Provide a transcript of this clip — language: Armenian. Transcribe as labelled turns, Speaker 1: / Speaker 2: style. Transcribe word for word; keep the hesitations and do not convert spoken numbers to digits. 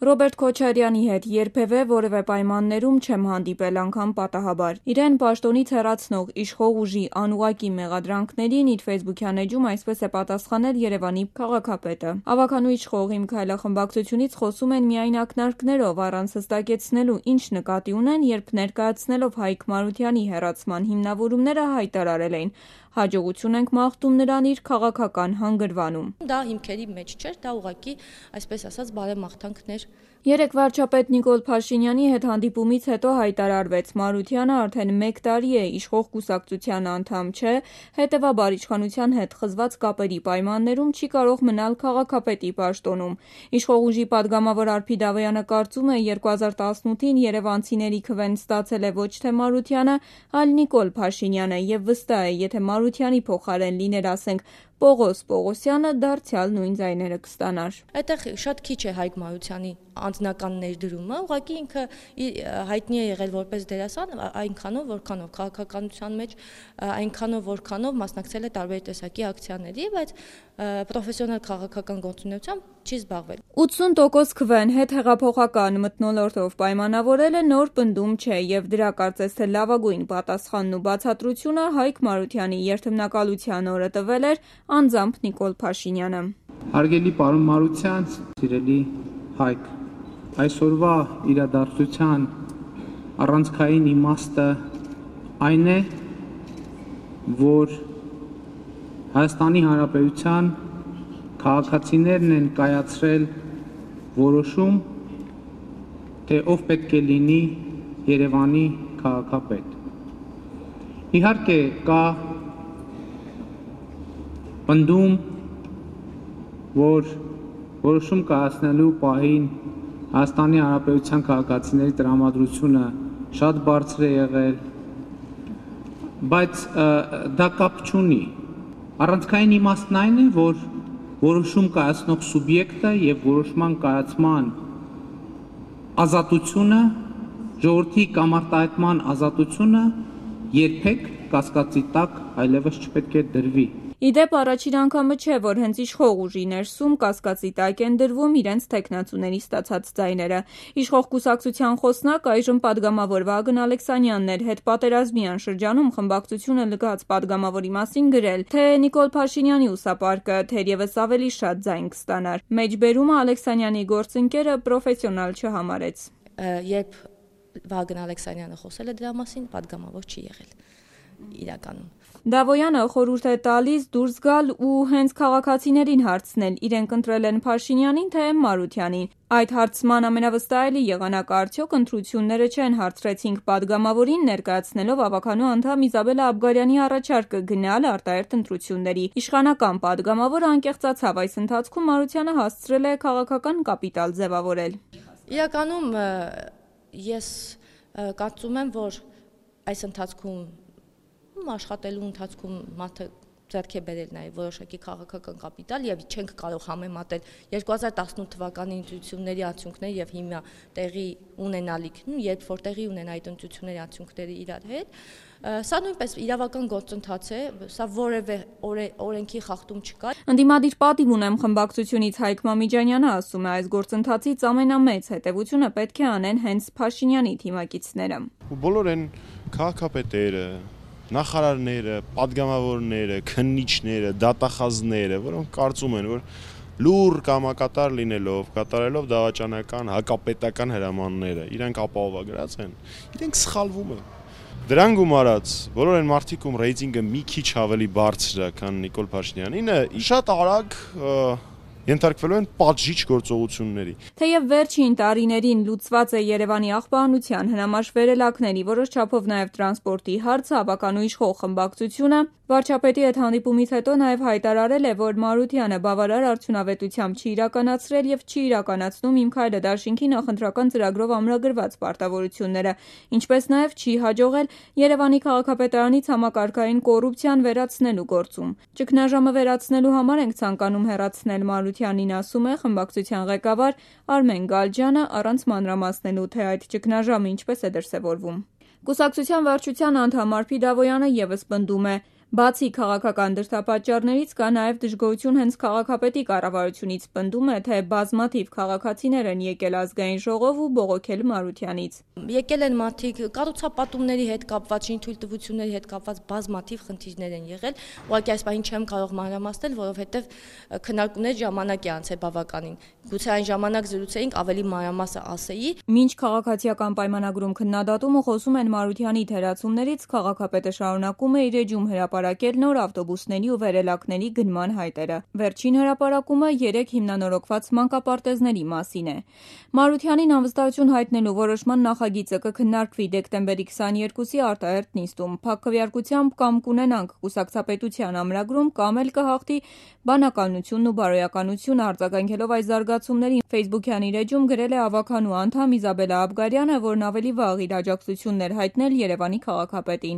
Speaker 1: Ռոբերտ Քոչարյանի հետ երբևէ որևէ պայմաններում չեմ հանդիպել, անգամ պատահաբար։ Իրեն պաշտոնից հեռացնող իշխող ուժի անուղղակի մեղադրանքներին իր ֆեյսբուքյան էջում այսպես է պատասխանել Երևանի քաղաքապետը։ Ավագանու իշխող «Իմ քայլախմբակցությունից» խոսում են միայն ակնարկներով, առանց հստակեցնելու ինչ նկատի ունեն, երբ ներկայացնելով Հայկ Մարությանի հեռացման հիմնավորումները հայտարարել էին. «Հաջողություն ենք մաղթում նրան իր քաղաքական հանգրվանում»։
Speaker 2: Դա հիմքերի մեջ չէր, դա ուղղակի, այսպես ասած, բարեմաղթանքներ։
Speaker 1: Երեկ վարչապետ Նիկոլ Փաշինյանի հետ հանդիպումից հետո հայտարարվեց՝ Մարությանը արդեն մեկ տարի է իշխող կուսակցության անդամ չէ, հետևաբար իշխանության հետ խզված կապերի պայմաններում չի կարող մնալ քաղաքապետի պաշտոնում։ Իշխող ուժի պատգամավոր Արփի Դավոյանը կարծում է՝ երկու հազար տասնութին երևանցիների քվեն ստացել է ոչ թե Մարությանը, այլ Նիկոլ Փաշինյանը, եւ վստահ է, եթե Մարությանի փոխարեն լիներ, ասենք, Պողոս Պողոսյանը, դարձյալ նույն ձայները կստանար։
Speaker 2: Այդտեղ շատ քիչ է Հայկ Մարությանի անձնական ներդրումը, ուղղակի ինքը հայտնի է եղել որպես դերասան այնքանով, որքանով քաղաքականության մեջ այնքանով, որքանով մասնակցել է տարբեր տեսակի ակցիաների, բայց պրոֆեսիոնալ քաղաքական գործունեությամբ չի զբաղվել։
Speaker 1: ութսուն տոկոս քվեն հետհեղափոխական մթնոլորտով պայմանավորելը նոր պնդում չէ, եւ դրա կարծես թե լավագույն պատասխանն ու բացատրությունը Հայկ Մարությանի երթմնակալության օրը տվել էր անձամբ Նիկոլ Փաշինյանը։
Speaker 3: Հարգելի պարոն Մարության, սիրելի Հայկ, այսօրվա իրադարձության առանցքային իմաստը այն է, որ Հայաստանի Հանրապետության քաղաքացիներն են կայացրել որոշում, թե ով պետք է լինի Երևանի քաղաքապետ։ Իհարկե կա պնդում, որ որոշում կայացնելու պահին Հայաստանի Հանրապետության քաղաքացիների տրամադրությունը շատ բարձր է եղել, բայց դա կապ չունի։ Առանցքային իմաստն այն է, որ որոշում կայացնող սուբյեկտը եւ որոշման կայացման ազատությունը, ժողովրդի կամարտահայտման ազատությունը երբեք կասկածի տակ այլևս չպետք է դրվի։
Speaker 1: Իդեպ առաջին անգամը չէ, որ հենց իշխող ուժի ներսում կասկածի տակ են դրվում իրենց թեկնածուների ստացած ձայները։ Իշխող կուսակցության խոսնակ, այժմ պատգամավոր Վագն Ալեքսանյանն էր հետպատերազմյան շրջանում խմբակցությունը լքած պատգամավորի մասին գրել, թե Նիկոլ Փաշինյանի ուսապարկը թերևս ավելի շատ ձայն կստանար։ Մեջբերումը Ալեքսանյանի գործընկերը պրոֆեսիոնալ չհամարեց։
Speaker 2: Երբ Վագն Ալեքսանյանը խոսել է դրա մասին, պատգամավոր չի եղել իրականում։
Speaker 1: Դավոյանը խորհուրդ է տալիս դուրս գալ ու հենց քաղաքացիներին հարցնել՝ իրենք ընտրել են Փաշինյանին, թե Մարությանին։ Այդ հարցման ամենավստահելի եղանակը արդյոք ընտրությունները չեն, հարցրեցինք պատգամավորին, ներկայացնելով ավագանու անդամ Իզաբելլա Աբգարյանի առաջարկը գնալ արտահերթ ընտրությունների։ Իշխանական պատգամավորը անկեղծացավ, այս ընթացքում Մարությանը հասցրել է քաղաքական կապիտալ ձևավորել։
Speaker 2: Իրականում ես կարծում եմ, որ այս ընթացքում աշխատելու ընթացքում մարդը ձեռք է բերել նաև որոշակի քաղաքական կապիտալ եւ չենք կարող համեմատել երկու հազար տասնութ թվականի ընտրությունների արդյունքները եւ հիմա տեղի ունենալիքն, երբ որ տեղի ունեն այդ ընտրությունների արդյունքները իրար հետ, սա նույնպես իրավական գործընթաց է, սա որևէ օրենքի խախտում չկա։
Speaker 1: Ընդդիմադիր պատիվ ունեմ խմբակցությունից Հայկ Մամիջանյանը ասում է, այս գործընթացից ամենամեծ հետևությունը պետք է անեն հենց Փաշինյանի թիմակիցները։
Speaker 4: Բոլոր են քաղաքապետերը, նախարարները, պատգամավորները, քննիչները, դատախազները, որոնք կարծում են, որ լուր կամակատար լինելով, կատարելով դավաճանական, հակապետական հրամանները, իրենք ապահովագրած են, իրենք սխալվում են։ Դրան գումարած, բոլոր են մարդիկ, ում ռեյտինգը մի քիչ ավելի բարձր է, քան Նիկոլ Փաշինյանինը, շատ արագ ենթարկվելու են պատժիչ գործողությունների։
Speaker 1: Թեև վերջին տարիներին լուծված է Երևանի աղբահանության հնամաշ վերելակների, որոշ չափով նաև տրանսպորտի հարցը, ավականու իշխող խմբակցությունը վարչապետի հետ հանդիպումից հետո նաև հայտարարել է, որ Մարությանը բավարար արդյունավետությամբ չի իրականացրել եւ չի իրականացնում «Իմ քայլը» դաշինքի նախընտրական ծրագրով ամրագրված պարտավորությունները, ինչպես նաև չի հաջողել Երևանի քաղաքապետարանից համակարգային կոռուպցիան վերացնելու գործում։ Ճգնաժամը վերացնելու համար ենք ցանկանում հեռացնել Մարությանին, ասում է խմբակցության ղեկավար Արմեն Գալջյանը, առանց մանրամասնելու, թե այդ ճգնաժամը ինչպես է դրսևորվում։ Կուսակցության վարչության անդամ Արփի Դավոյանը եւս պնդում է, Բացի քաղաքական դրդապատճառներից կա նաև դժգոհություն հենց քաղաքապետի կառավարությունից, պնդում է, թե բազմաթիվ քաղաքացիներ են եկել ազգային ժողով ու բողոքել Մարությանից։
Speaker 2: Եկել են մարդիկ կառուցապատումների հետ կապված, շինթույլտվությունների հետ կապված բազմաթիվ խնդիրներ են եղել, ուղղակի այս պահին չեմ կարող մանրամասնել, որովհետև քննարկումների ժամանակ է անցել բավականին։ Գուցե այն ժամանակ զրուցեինք, ավելի մանրամասը ասեի։
Speaker 1: Մինչ քաղաքացիական պայմանագրում քննադատումը խոսում են Մարությանի թերացումներից, քաղաքապետը շարունակում է իր էջում հրապարակել նոր ավտոբուսների ու վերելակների գնման հայտերը։ Վերջին հրապարակումը երեք հիմնանորոգված մանկապարտեզների մասին է։ Մարությանին անվստահություն հայտնելու որոշման նախագիծը կքննարկվի դեկտեմբերի քսաներկուսի արտահերթ նիստում։ Փակ քվեարկությամբ կամ կունենանք կուսակցապետության ամրագրում, կամ էլ կհաղթի բանականությունն ու բարոյականությունը, արձագանքելով այս զարգացումներին Facebook-յան իր էջում գրել է ավականու անդամ Իզաբելլա Աբգարյանը, որն ավելի վաղ իր աջակցությունն էր հայտնել Երևանի քաղաքապետին։